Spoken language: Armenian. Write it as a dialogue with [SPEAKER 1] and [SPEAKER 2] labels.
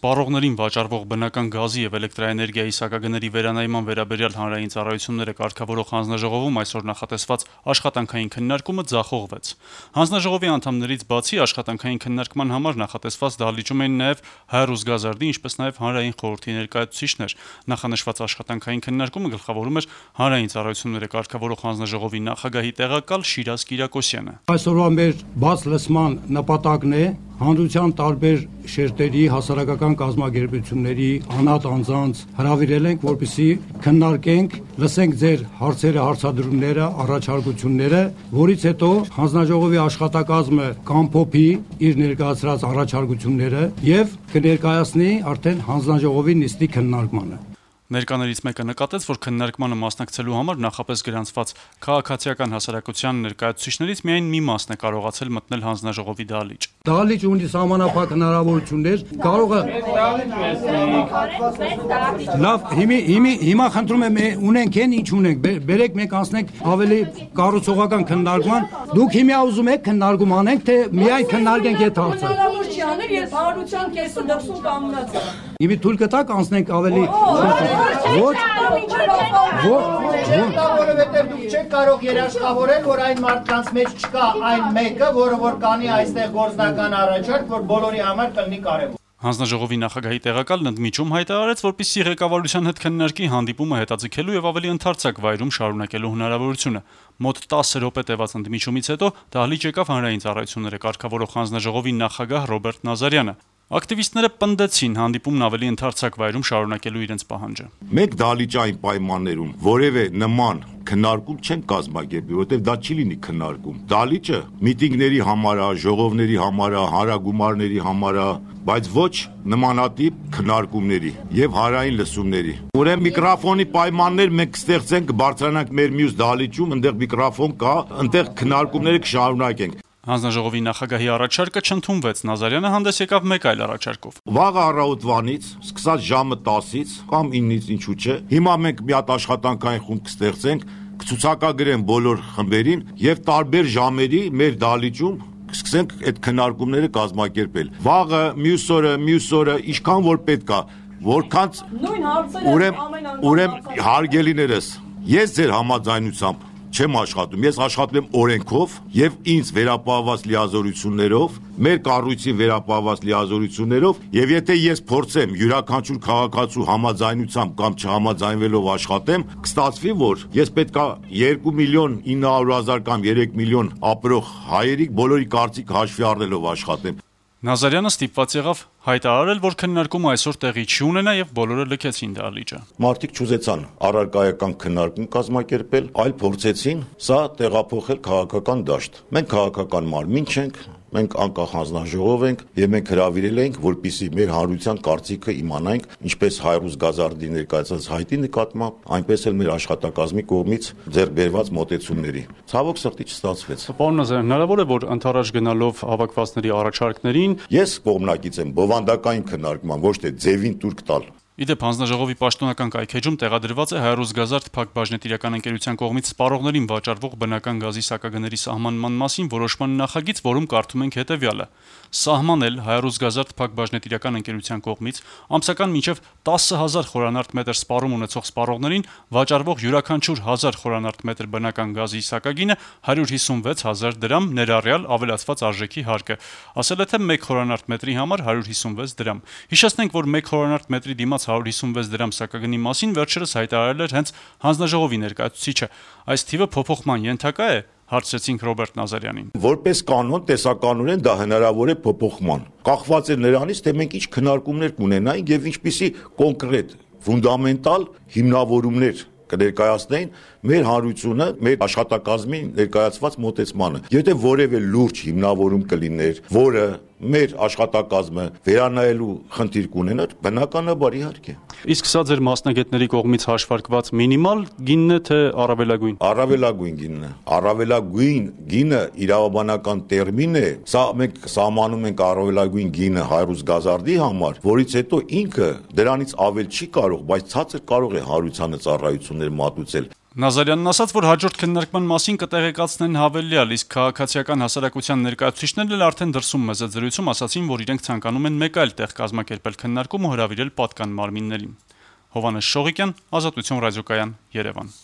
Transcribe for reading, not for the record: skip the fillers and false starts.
[SPEAKER 1] Սպառողներին վաճառվող բնական գազի եւ էլեկտրաէներգիայի սակագների վերանայման վերաբերյալ հանրային ծառայությունները կարգավորող հանձնաժողովում այսօր նախատեսված աշխատանքային քննարկումը ձախողվեց։ Հանձնաժողովի անդամներից բացի աշխատանքային քննարկման համար նախատեսված դահլիճում էին նաեւ Հայ-Ռուսգազարդի, ինչպես նաեւ Հանրային խորհրդի ներկայացուցիչներ։ Նախանշված աշխատանքային քննարկումը գլխավորում էր հանրային ծառայությունները կարգավորող հանձնաժողովի նախագահի տեղակալ Շիրազ Կիրակոսյանը։
[SPEAKER 2] Այսօրվա մեր բաց լսման նպատակն է հանրության տարբեր շերտերի հասարակական կազմակերպությունների անհատ անձանց հրավիրել ենք, որպեսզի քննարկենք, լսենք ձեր հարցերը, հարցադրումները, առաջարկությունները, որից հետո հանձնաժողովի աշխատակազմը կամփոփի իր ներկայացրած առաջարկությունները եւ կներկայացնի արդեն հանձնաժողովի նիստի քննարկմանը։
[SPEAKER 1] Ներկաներից մեկը նկատեց, որ քննարկմանը մասնակցելու համար նախապես գրանցված քաղաքացիական հասարակության ներկայացուցիչներից միայն մի մասն է կարողացել մտնել հանձնաժողովի դահլիճ։
[SPEAKER 2] Դահլիճ ունի սահմանափակ հնարավորություններ, կարող է Լավ, հիմա խնդրում եմ ունենք են ինչ ունենք, բերեք մենք անցնենք ավելի կառուցողական քննարկման։ Դուք հիմա ուզում եք քննարկում անենք, թե միայն քննարկենք այդ հարցը։
[SPEAKER 3] Երբ հարության կեսը դրսում կանգնած է։
[SPEAKER 2] Իմի թույլ կտակ անցնենք ավելի
[SPEAKER 4] որովհետև դուք չեք կարող երաշխավորել, որ այն մարդկանց մեջ չկա այն մեկը, որը կանի այստեղ գործնական առաջարկ, որ բոլորի համար կլինի կարևոր։
[SPEAKER 1] Հանձնաժողովի նախագահի տեղակալն ընդմիջում հայտարարեց, որպեսզի ղեկավարության հետ քննարկի հանդիպումը հետաձգելու եւ ավելի ընդարձակ վայրում շարունակելու հնարավորությունը։ Մոտ 10 րոպե տևած ընդմիջումից հետո դահլիճ եկավ հանրային ծառայությունները կարգավորող հանձնաժողովի նախագահ Ռոբերտ Նազարյանը։ Ակտիվիստները պնդեցին հանդիպումն ավելի ընդարձակ վայրում շարունակելու իրենց պահանջը։
[SPEAKER 5] Մենք դահլիճային պայմաններում որևէ նման քննարկում չեն կազմակերպի, որովհետև դա չի լինի քննարկում։ Դահլիճը միտինգների համար է, ժողովների համար է, հանրագումարների համար է, բայց ոչ նմանատիպ քննարկումների եւ հանրային լսումների։ Ուրեմն միկրոֆոնի պայմաններ մենք կստեղծենք, կբարձրանանք մեր մյուս դահլիճում, այնտեղ միկրոֆոն կա, այնտեղ քննարկումները կշարունակենք։
[SPEAKER 1] Հանձնաժողովի նախագահի առաջարկը չընդունվեց, Նազարյանը հանդես եկավ մեկ այլ առաջարկով։
[SPEAKER 5] Վաղը առավոտվանից, սկսած ժամը 10-ից կամ 9-ից ինչու՞ չէ, հիմա մենք մի հատ աշխատանքային խումբ կստեղծենք, կցուցակագրեն բոլոր խմբերին եւ տարբեր ժամերի մեր դահլիճում սկսենք այդ քննարկումները կազմակերպել։ Վաղը, մյուս օրը, ինչքան որ պետք է, որքան ուրեմն հարգելիներս, ես ձեր համաձայնությամբ չեմ աշխատում, ես աշխատում եմ օրենքով եւ ինձ վերապահված լիազորություններով, մեր կառույցին վերապահված լիազորություններով, եւ եթե ես փորձեմ յուրաքանչյուր քաղաքացու համաձայնությամբ կամ չհամաձայնվելով աշխատեմ, կստացվի, որ ես պետքա 2.900.000 կամ 3 միլիոն ապրող հայերի բոլորի կարծիք հաշվի առնելով աշխատեմ։
[SPEAKER 1] Նազարյանը ստիպված եղավ հայտարարել, որ քննարկումը այսօր տեղի չի ունենա եւ բոլորը լքեցին դահլիճը։
[SPEAKER 5] Մարդիկ չուզեցան առարկայական քննարկում կազմակերպել, այլ փորձեցին սա տեղափոխել քաղաքական դաշտ։ Մենք քաղաքական մարմին չենք, մենք անկախ հանձնաժողով ենք եւ մենք հրավիրել ենք, որպեսզի մեր հանրության կարծիքը իմանանք, ինչպես Հայ-Ռուսգազարդի ներկայացած հայտի նկատմամբ, այնպես էլ մեր աշխատակազմի կողմից ձեռք բերված մոտեցումների։ Ցավոք սրտի չստացվեց։
[SPEAKER 1] Պարոն Նազարյան, հնարավոր է, որ ընթരാճ գնալով հավաքվածների առաջարկներին
[SPEAKER 5] ես կողմնակից եմ բովանդակային քննարկման, ոչ թե ձևին տուրք տալ։
[SPEAKER 1] Իդեպ հանձնաժողովի պաշտոնական կայքեջում տեղադրված է Հայ-Ռուսգազարդ փակbaşնետիրական ընկերության կողմից սպառողներին վաճառվող բնական գազի սակագների սահմանման մասին որոշման նախագիծ, որում կարդում ենք հետևյալը. Սահմանել Հայ-Ռուսգազարդ փակbaşնետիրական ընկերության կողմից ամսական մինչև 10,000 խորանարդ մետր սպառում ունեցող սպառողներին վաճառվող յուրաքանչյուր 1000 խորանարդ մետր բնական գազի սակագինը 156,000 դրամ ներառյալ ավելացված արժեքի հարկը։ Ասել է թե 1 խորանարդ մետրի համար 156 դրամ։ Հիշեցնենք, որ 1 խորանարդ մետրի դիմաց 156 դրամ սակագնի մասին վերջերս հայտարարել էր հենց հանձնաժողովի ներկայացուցիչը։ Այս թիվը փոփոխման ենթակա է, հարցրեցինք Ռոբերտ Նազարյանին։
[SPEAKER 5] Որպես կանոն, տեսականորեն դա հնարավոր է փոփոխման։ Կախված է նրանից, թե մենք ինչ քննարկումներ կունենայինք եւ ինչպիսի կոնկրետ, ֆունդամենտալ հիմնավորումներ կներկայացնեին մեր հանրությունը, մեր աշխատակազմի ներկայացված մոտեցմանը։ Եթե որևէ լուրջ հիմնավորում կլիներ, որը մեր աշխատակազմը վերանայելու խնդիր կունենար, բնականաբար իհարկե։
[SPEAKER 1] Իսկ սա ձեր մասնագետների կողմից հաշվարկված մինիմալ գինն է, թե առավելագույն։
[SPEAKER 5] Առավելագույն գինն է։ Առավելագույն գինը իրավաբանական տերմին է։ Սա մենք սահմանում ենք առավելագույն գինը Հայ-Ռուսգազարդի համար, որից հետո ինքը դրանից ավել չի կարող, բայց ցածր կարող է հանրությանը ծառայություններ մատուցել։
[SPEAKER 1] Նազարյանն ասաց, որ հաջորդ քննարկման մասին կտեղեկացնեն հավելյալ, իսկ քաղաքացիական հասարակության ներկայացուցիչներն էլ արդեն դրսում մեծաձրույցում ասացին, որ իրենք ցանկանում են մեկ այլ տեղ կազմակերպել քննարկում ու հրավիրել պատկան մարմիններին։ Հովհաննես Շողիկյան, Ազատություն ռադիոկայան, Երևան։